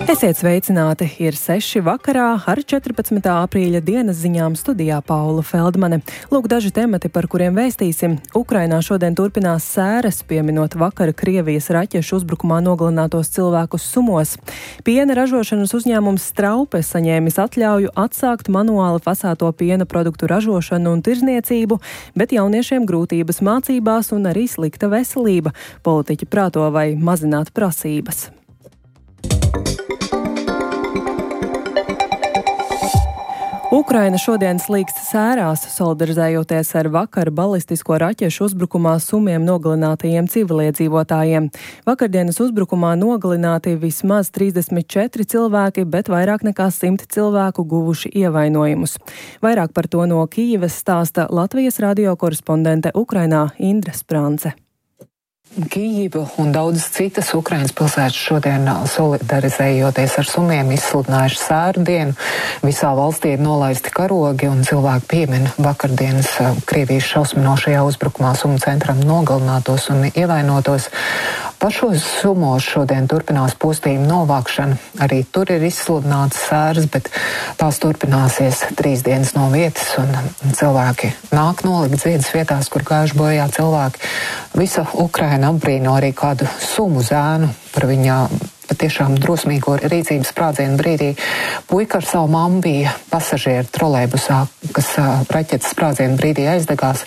Esiet sveicināti! Ir 6 vakarā ar 14. aprīļa dienas ziņām studijā Paula Feldmane. Lūk daži temati, par kuriem vēstīsim. Ukrainā šodien turpinās sēras, pieminot vakar Krievijas raķešu uzbrukumā nogalinātos cilvēkus Sumos. Piena ražošanas uzņēmums Straupe saņēmis atļauju atsākt manuāli fasēto piena produktu ražošanu un tirzniecību, bet jauniešiem grūtības mācībās un arī slikta veselība. Politiķi prāto vai mazināt prasības. Ukraina šodien slīkst sērās, solidarizējoties ar vakar balistisko raķešu uzbrukumā Sumiem nogalinātajiem civiliedzīvotājiem. Vakardienas uzbrukumā nogalināti vismaz 34 cilvēki, bet vairāk nekā 100 cilvēku guvuši ievainojumus. Vairāk par to no Kijivas stāsta Latvijas radio korespondente Ukrainā Indra Sprance. Kijiva un daudzas citas Ukrainas pilsētas šodien solidarizējoties ar Sumiem izsludinājuši sēru dienu. Visā valstī ir nolaisti karogi un cilvēki piemin vakardienas Krievijas šausminošajā uzbrukumā Sumu centram nogalinātos un ievainotos. Pašos Sumos šodien turpinās postījuma novākšana. Arī tur ir izsludināts sēras, bet tās turpināsies 3 dienas no vietas un cilvēki nāk nolikt dziedas vietās, kur gājuši bojā cilvēki. Visa Ukraina apbrīno arī kādu Sumu zēnu par viņa patiešām drosmīgo rīcības sprādzienu brīdī. Puika ar savu mammu bija pasažieru trolejbusā, kas raķetes sprādzienu brīdī aizdegās.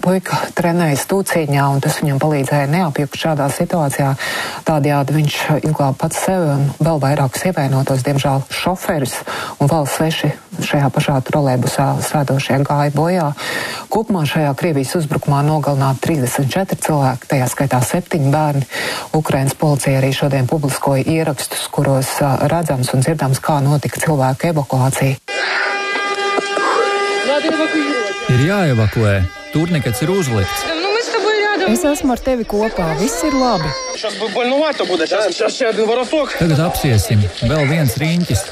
Puika trenējas tūcīņā, un tas viņam palīdzēja neapjukt šādā situācijā. Tādējādi viņš izglāba pats sevi un vēl vairākus ievainotos. Diemžēl šoferis un vēl 6 šajā pašā trolejbusā sēdošie gāja bojā. Kopumā šajā Krievijas uzbrukumā nogalināti 34 cilvēki, tajā skaitā 7 bērni. Ukrainas policija arī šodien publiskoja ierakstus, kuros redzams un dzirdams, kā notika cilvēku evakuācija. Ir jāevakuē. Turnekets ir uzlikts. Es esmu ar tevi kopā. Viss ir labi. Tagad apsiesim. Vēl viens riņķis.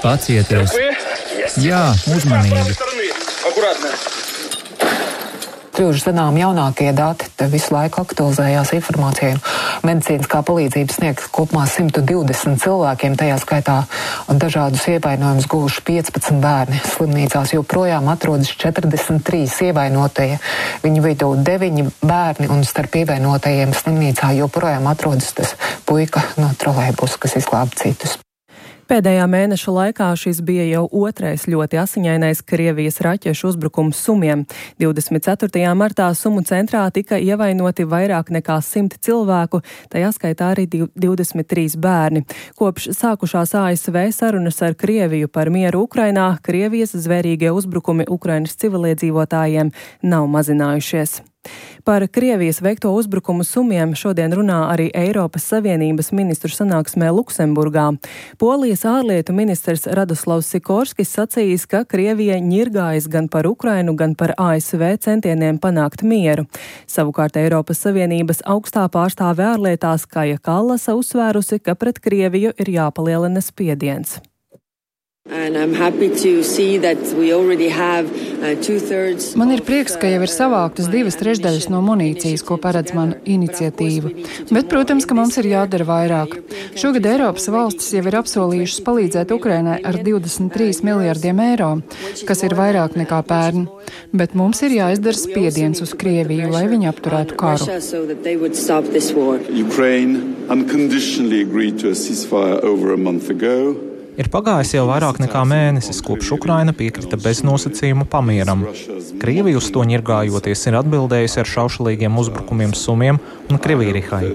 Pacieties. Jā, uzmanīgi. Kļuvuši zinām jaunākie dati, te visu laiku aktualizējās informācija. Medicīniskā palīdzība sniegta kopumā 120 cilvēkiem, tajā skaitā dažādus ievainojumus guvuši 15 bērni. Slimnīcās joprojām atrodas 43 ievainotie. Viņu vidū 9 bērni un starp ievainotajiem slimnīcā joprojām atrodas tas puika no trolejbusa, kas izglāba citus. Pēdējā mēneša laikā šis bija jau otrais ļoti asiņainais Krievijas raķešu uzbrukums Sumiem. 24. martā Sumu centrā tika ievainoti vairāk nekā 100 cilvēku, tajā skaitā arī 23 bērni. Kopš sākušās ASV sarunas ar Krieviju par mieru Ukrainā, Krievijas zvērīgie uzbrukumi Ukrainas civiliedzīvotājiem nav mazinājušies. Par Krievijas veikto uzbrukumu Sumiem šodien runā arī Eiropas Savienības ministru sanāksmē Luksemburgā. Polijas ārlietu ministrs Radoslavs Sikorskis sacījis, ka Krievija ņirgājas gan par Ukrainu, gan par ASV centieniem panākt mieru. Savukārt Eiropas Savienības augstā pārstāve ārlietās Kaja Kallasa uzsvērusi, ka pret Krieviju ir jāpalielina spiediens. Man ir prieks, ka jau ir savāktas 2/3 no munīcijas, ko paredz mana iniciatīva. Bet, protams, ka mums ir jādara vairāk. Šogad Eiropas valstis jau ir apsolījušas palīdzēt Ukrainai ar 23 miljardiem eiro, kas ir vairāk nekā pērn. Bet mums ir jāizdara spiediens uz Krieviju, lai viņi apturētu karu. Ir pagājis jau vairāk nekā mēnesis, kopš Ukraina piekrita beznosacījumu pamieram. Krievija uz to ņirgājoties ir atbildējusi ar šaušalīgiem uzbrukumiem Sumiem un Krivirihai.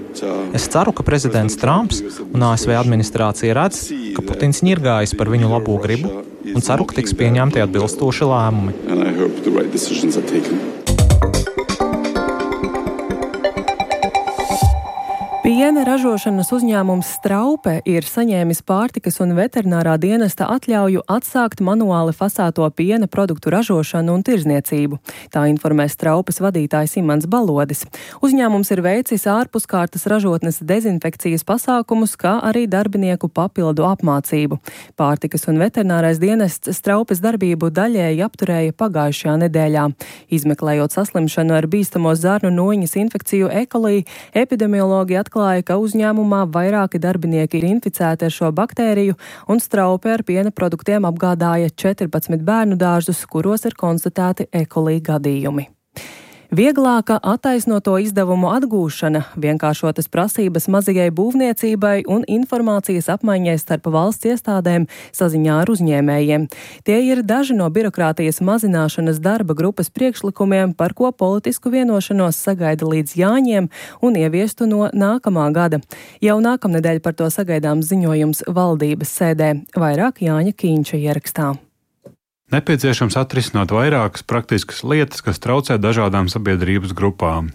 Es ceru, ka prezidents Trumps un ASV administrācija redz, ka Putins ņirgājas par viņu labo gribu un ceru, ka tiks pieņemti atbilstoši lēmumi. Piena ražošanas uzņēmums Straupe ir saņēmis pārtikas un veterinārā dienesta atļauju atsākt manuāli fasēto piena produktu ražošanu un tirzniecību. Tā informē Straupes vadītājs Imants Balodis. Uzņēmums ir veicis ārpuskārtas ražotnes dezinfekcijas pasākumus, kā arī darbinieku papildu apmācību. Pārtikas un veterinārais dienests Straupes darbību daļēji apturēja pagājušajā nedēļā. Izmeklējot saslimšanu ar bīstamo zarnu noņas infekciju E. coli, epidemiologi atklāja, atklāja, ka uzņēmumā vairāki darbinieki ir inficēti ar šo baktēriju un straupi ar piena produktiem apgādāja 14 bērnu dārzus, kuros ir konstatēti E. coli gadījumi. Vieglāka attaisnoto izdevumu atgūšana, vienkāršotas prasības mazajai būvniecībai un informācijas apmaiņai starp valsts iestādēm saziņā ar uzņēmējiem. Tie ir daži no birokrātijas mazināšanas darba grupas priekšlikumiem, par ko politisku vienošanos sagaida līdz Jāņiem un ieviestu no nākamā gada. Jau nākamnedēļ par to sagaidāms ziņojums valdības sēdē. Vairāk Jāņa Kīņša ierakstā. Nepieciešams atrisināt vairākas praktiskas lietas, kas traucē dažādām sabiedrības grupām.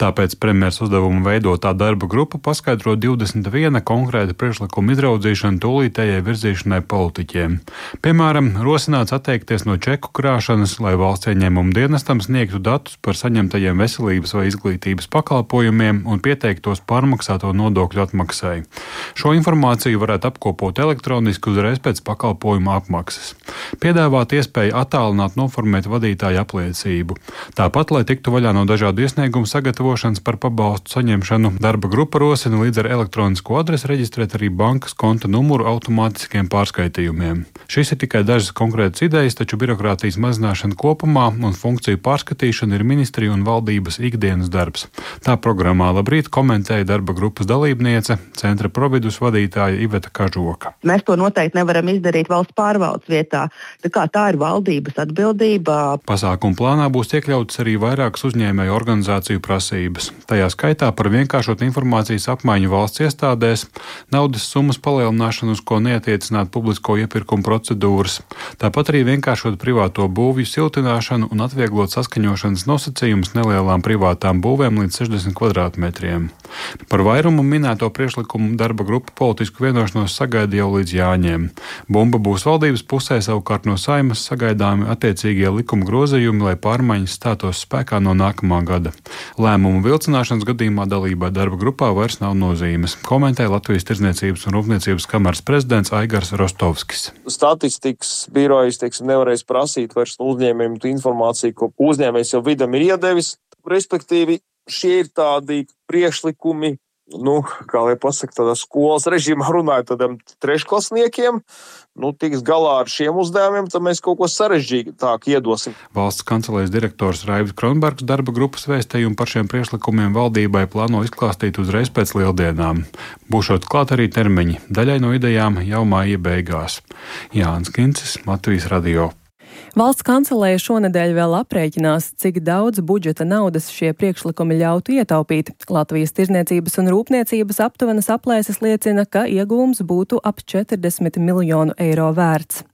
Tāpēc premjers uzdevumu veidotā darba grupa paskaidro 21 konkrēta priekšlikuma izraudzīšanu tūlītējai virzīšanai politiķiem. Piemēram, rosināts atteikties no čeku krāšanas, lai valsts ieņēmuma dienestam sniegtu datus par saņemtajiem veselības vai izglītības pakalpojumiem un pieteiktos pārmaksāto nodokļu atmaksai. Šo informāciju varētu apkopot elektroniski uzreiz pēc pakalpojuma apmaksas. Piedāvāt iespēju attālināt noformēt vadītāju apliecību. Tāpat, lai tiktu vaļā no dažādu iesniegumu sagatavošanas par pabalstu saņemšanu, darba grupa rosina līdz ar elektronisko adresi reģistrēt arī bankas konta numuru automātiskiem pārskaitījumiem. Šis ir tikai dažas konkrētas idejas, taču birokrātijas mazināšana kopumā un funkciju pārskatīšana ir ministriju un valdības ikdienas darbs. Tā programmā Labrīt komentēja darba grupas dalībniece, Centra Providus vadītāja Iveta Kažoka. Mēs to noteikti nevaram izdarīt valsts pārvaldes vietā. Tā ir valdības atbildība. Pasākumu plānā būs iekļautas arī vairākas uzņēmēju organizāciju prasības. Tajā skaitā par vienkāršotu informācijas apmaiņu valsts iestādēs, naudas summas palielināšanu, uz ko neatiecināt publisko iepirkumu procedūras, tāpat arī vienkāršot privāto būvju siltināšanu un atvieglot saskaņošanas nosacījumus nelielām privātām būvēm līdz 60 kvadrātmetriem. Par vairumu minēto priekšlikumu darba grupa politisku vienošanos sagaida jau līdz Jāņiem. Bumba būs valdības pusē, savukārt no Saeimas sagaidāmi attiecīgie likuma grozījumi, lai pārmaiņas stātos spēkā no nākamā gada. Lēmumu vilcināšanas gadījumā dalībai darba grupā vairs nav nozīmes, komentē Latvijas Tirdzniecības un Rūpniecības kameras prezidents Aigars Rostovskis. Statistikas birojas, nevarēs prasīt vairs no uzņēmējiem informāciju, ko uzņēmējs jau vidam ir iedevis. Respektīvi, šie ir tādi priekšlikumi, kā lai pasaka, tādā skolas režīmā runāja tādiem trešklasniekiem, tiks galā ar šiem uzdevumiem, tad mēs kaut ko sarežģītāk iedosim. Valsts kancelējas direktors Raivs Kronbergs darba grupas vēstījumu par šiem priekšlikumiem valdībai plāno izklāstīt uzreiz pēc lieldienām. Būšot klāt arī termiņi, daļai no idejām jau māja beigās. Jānis Kincis, Latvijas radio. Valsts kancelēja šonedēļ vēl aprēķinās, cik daudz budžeta naudas šie priekšlikumi ļautu ietaupīt. Latvijas Tirdzniecības un Rūpniecības aptuvenas aplēses liecina, ka ieguvums būtu ap 40 miljonu eiro vērts.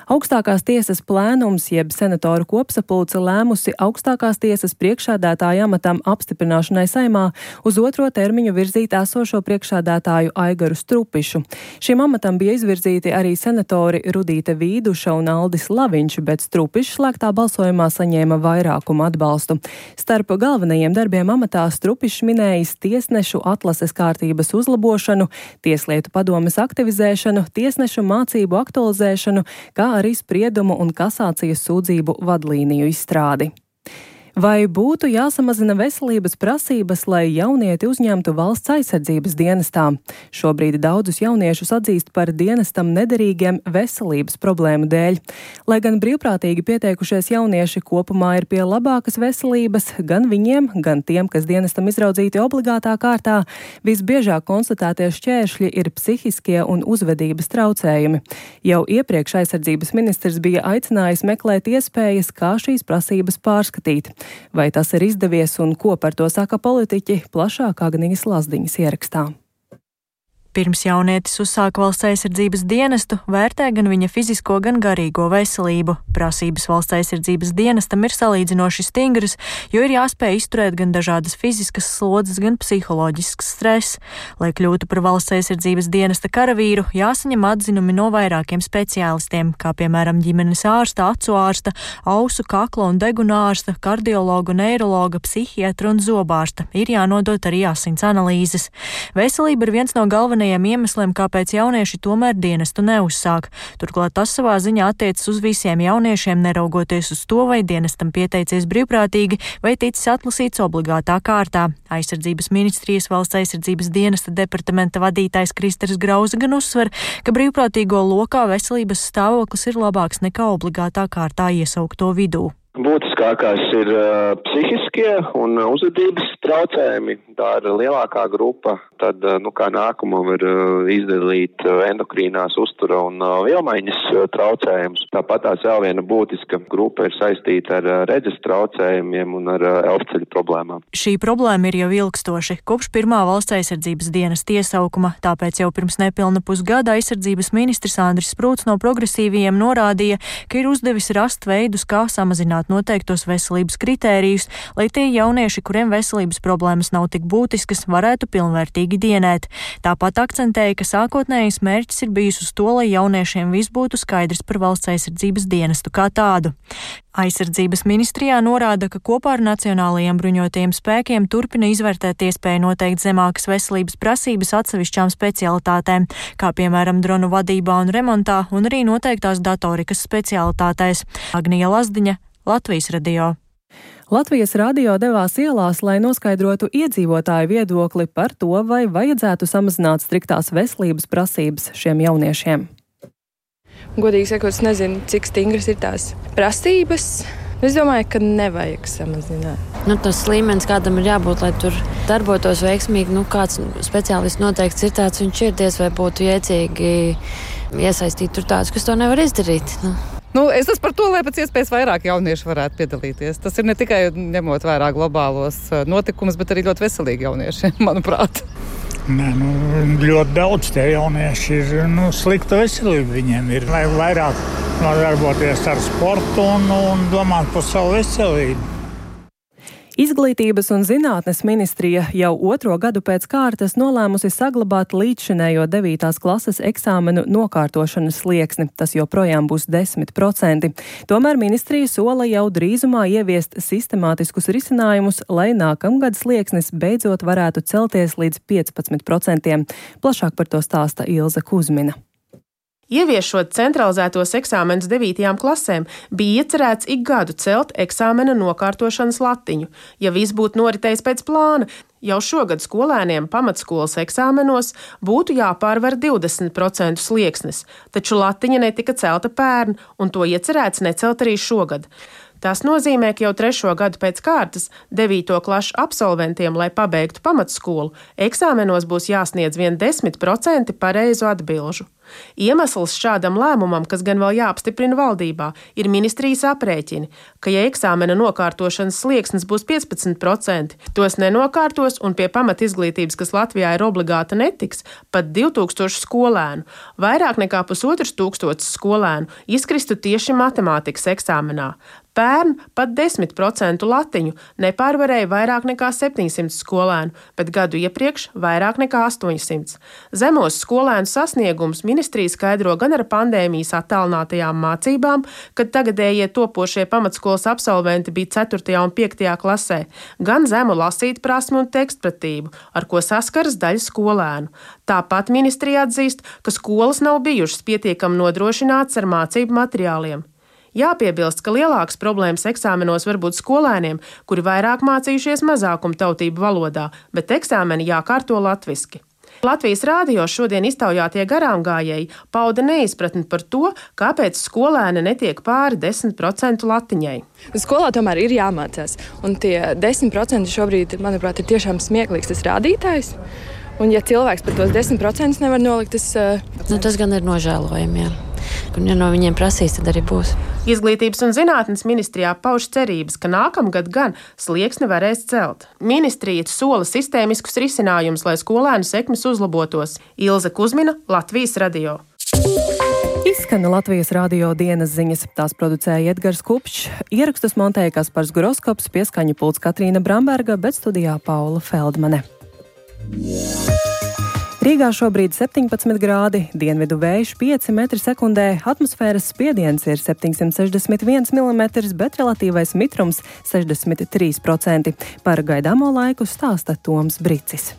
Augstākās tiesas plēnums, jeb senatoru kopsapulce lēmusi augstākās tiesas priekšsēdētāja amatam apstiprināšanai Saeimā uz otro termiņu virzīt esošo priekšsēdētāju Aigaru Strupišu. Šim amatam bija izvirzīti arī senatori Rudīte Vīduša un Aldis Laviņš, bet Strupišs slēgtā balsojumā saņēma vairākumu atbalstu. Starp galvenajiem darbiem amatā Strupišs minējis tiesnešu atlases kārtības uzlabošanu, tieslietu padomes aktivizēšanu, tiesnešu mācību aktualizēšanu, kā arī spriedumu un kasācijas sūdzību vadlīniju izstrādi. Vai būtu jāsamazina veselības prasības, lai jaunieti uzņemtu valsts aizsardzības dienestā? Šobrīd daudzus jauniešus atzīst par dienestam nederīgiem veselības problēmu dēļ. Lai gan brīvprātīgi pieteikušies jaunieši kopumā ir pie labākas veselības, gan viņiem, gan tiem, kas dienestam izraudzīti obligātā kārtā, visbiežāk konstatētie šķēršļi ir psihiskie un uzvedības traucējumi. Jau iepriekš aizsardzības ministrs bija aicinājis meklēt iespējas, kā šīs prasības pārskatīt. Vai tas ir izdevies un ko par to saka politiķi, plašāk Agnijas Lazdiņas ierakstā. Pirms jaunietis uzsāk valsts aizsardzības dienestu, vērtē gan viņa fizisko, gan garīgo veselību. Prasības valsts aizsardzības dienestam ir salīdzinoši stingras, jo ir jāspēj izturēt gan dažādas fiziskas slodzes, gan psiholoģisks stress. Lai kļūtu par valsts aizsardzības dienesta karavīru, jāsaņem atzinumi no vairākiem speciālistiem, kā piemēram ģimenes ārsta, acu ārsta, ausu, kakla un deguna ārsta, kardiologa, neirologa, psihiatra un zobārsta. Ir jānodot arī asins analīzes. Veselība ir viens no galvenajiem galvenajiem iemesliem, kāpēc jaunieši tomēr dienestu neuzsāk. Turklāt tas savā ziņā attiecas uz visiem jauniešiem, neraugoties uz to, vai dienestam pieteicies brīvprātīgi vai ticis atlasīts obligātā kārtā. Aizsardzības ministrijas valsts aizsardzības dienesta departamenta vadītājs Kristers Grauze gan uzsver, ka brīvprātīgo lokā veselības stāvoklis ir labāks nekā obligātā kārtā iesaukto vidū. Būtiskākais ir psihiskie un uzvedības traucējumi. Tā ir lielākā grupa. Tad, kā nākamam ir izdalīt endokrīnās uztura un vielmaiņas traucējumus. Tāpat tās vēl viena būtiska grupa ir saistīta ar redzes traucējumiem un ar elfceļu problēmām. Šī problēma ir jau ilgstoši, kopš pirmā valsts aizsardzības dienesta iesaukuma, tāpēc jau pirms nepilna pusgada aizsardzības ministrs Andris Sprūts no progresīvajiem norādīja, ka ir uzdevis rast veidus, kā samazināt noteiktos veselības kritērijus, lai tie jaunieši, kuriem veselības problēmas nav tik būtiskas, varētu pilnvērtīgi dienēt. Tāpat akcentēja, ka sākotnējais mērķis ir bijis uz to, lai jauniešiem viss būtu skaidrs par valsts aizsardzības dienestu kā tādu. Aizsardzības ministrijā norāda, ka kopā ar Nacionālajiem bruņotajiem spēkiem turpina izvērtēt iespēju noteikt zemākas veselības prasības atsevišķām specialitātēm, kā piemēram dronu vadībā un remontā, un arī noteiktās datorikas specialitātēs. Agnija Lazdiņa, Latvijas radio. Latvijas radio devās ielās, lai noskaidrotu iedzīvotāju viedokli par to, vai vajadzētu samazināt striktās veselības prasības šiem jauniešiem. Godīgi sakot, es nezinu, cik stingras ir tās prasības. Es domāju, ka nevajag samazināt. Tas līmenis, kādam ir jābūt, lai tur darbotos veiksmīgi, kāds speciālists noteikti ir tāds, viņš ir diez vai būtu jēdzīgi iesaistīt tur tādus, kas to nevar izdarīt. Es esmu par to, lai pēc iespējas vairāk jaunieši varētu piedalīties. Tas ir ne tikai ņemot vērā globālos notikumus, bet arī ļoti veselīgi jaunieši, manuprāt. Ļoti daudz tie jaunieši ir slikta veselība viņiem ir. Lai vairāk darboties ar sportu un domāt par savu veselību. Izglītības un zinātnes ministrija jau 2. gadu pēc kārtas nolēmusi saglabāt līdzšinējo 9. klases eksāmenu nokārtošanas slieksni. Tas joprojām būs 10%. Tomēr ministrija sola jau drīzumā ieviest sistemātiskus risinājumus, lai nākamgad slieksnis beidzot varētu celties līdz 15%. Plašāk par to stāsta Ilze Kuzmina. Ieviešot centralizētos eksāmenus 9. klasēm, bija iecerēts ik gadu celt eksāmena nokārtošanas latiņu. Ja viss būtu noritējis pēc plāna, jau šogad skolēniem pamatskolas eksāmenos būtu jāpārvar 20% slieksnis, taču latiņa netika celta pērn, un to iecerēts necelt arī šogad. Tas nozīmē, ka jau 3. gadu pēc kārtas 9. klašu absolventiem, lai pabeigtu pamatskolu, eksāmenos būs jāsniedz vien 10% pareizu atbilžu. Iemesls šādam lēmumam, kas gan vēl jāapstiprina valdībā, ir ministrijas aprēķini, ka ja eksāmena nokārtošanas slieksnis būs 15%, tos nenokārtos un pie pamatizglītības, kas Latvijā ir obligāta, netiks, pat 2000 skolēnu. Vairāk nekā 1500 skolēnu izkristu tieši matemātikas eksāmenā. Pērn pat 10% latiņu nepārvarēja vairāk nekā 700 skolēnu, bet gadu iepriekš vairāk nekā 800. Zemos skolēnu sasniegums ministrija skaidro gan ar pandēmijas attālinātajām mācībām, kad tagadējie topošie pamatskolas absolventi bija 4. un 5. klasē, gan zemu lasīt prasmi un tekstpratību, ar ko saskaras daļa skolēnu. Tāpat ministrija atzīst, ka skolas nav bijušas pietiekami nodrošinātas ar mācību materiāliem. Jāpiebilst, ka lielākas problēmas eksāmenos var būt skolēniem, kuri vairāk mācījušies mazākuma tautību valodā, bet eksāmeni jākārto latviski. Latvijas radio šodien iztaujātie garāmgājēji pauda neizpratni par to, kāpēc skolēni netiek pāri 10% latiņai. Skolā tomēr ir jāmācās, un tie 10% šobrīd, manuprāt, ir tiešām smieklīgs tas rādītājs. Un ja cilvēks par tos 10% nevar nolikt, tas gan ir nožēlojami, jā. Un ja no viņiem prasīs, tad arī būs. Izglītības un zinātnes ministrijā pauž cerības, ka nākamgad gan slieksni varēs celt. Ministrija sola sistēmiskus risinājumus, lai skolēnu sekmes uzlabotos. Ilze Kuzmina, Latvijas radio. Izskana Latvijas radio dienas ziņas. Tās producēja Edgars Kupčs, ierakstus montēja Kaspars Groskops, pieskaņu pults Katrīna Bramberga, bet studijā Paula Feldmane. Rīgā šobrīd 17 grādi, dienvidu vējš 5 metri sekundē, atmosfēras spiediens ir 761 mm, bet relatīvais mitrums 63%. Par gaidāmo laiku stāsta Toms Bricis.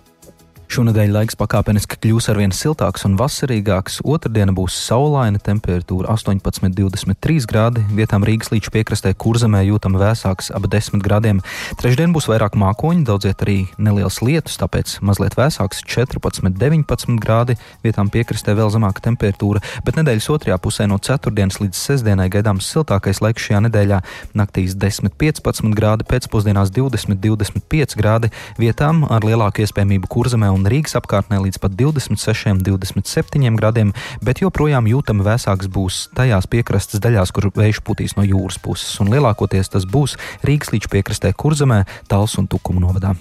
Šonedēļ laiks pakāpeniski kļūs arvien siltāks un vasarīgāks. Otrdiena būs saulaina, temperatūra 18–23 grādi. Vietām Rīgas līča piekrastē Kurzemē jūtama vēsāks ap 10 grādiem. Trešdien būs vairāk mākoņi, daudziet arī neliels lietus, tāpēc mazliet vēsāks 14–19 grādi. Vietām piekrastē vēl zemāka temperatūra, bet nedēļas otrajā pusē no ceturtdienas līdz sestdienai gaidāms siltākais laiks šajā nedēļā. Naktīs 10–15 grādi, pēcpusdienās 20–25 grādi. Vietām ar lielāku iespējamību Kurzemē un Rīgas apkārtnē līdz pat 26–27 grādiem, bet joprojām jūtami vēsāks būs tajās piekrastes daļās, kur vējš putīs no jūras puses, un lielākoties tas būs Rīgas līča piekrastē Kurzemē, Talsu un Tukumu novadā.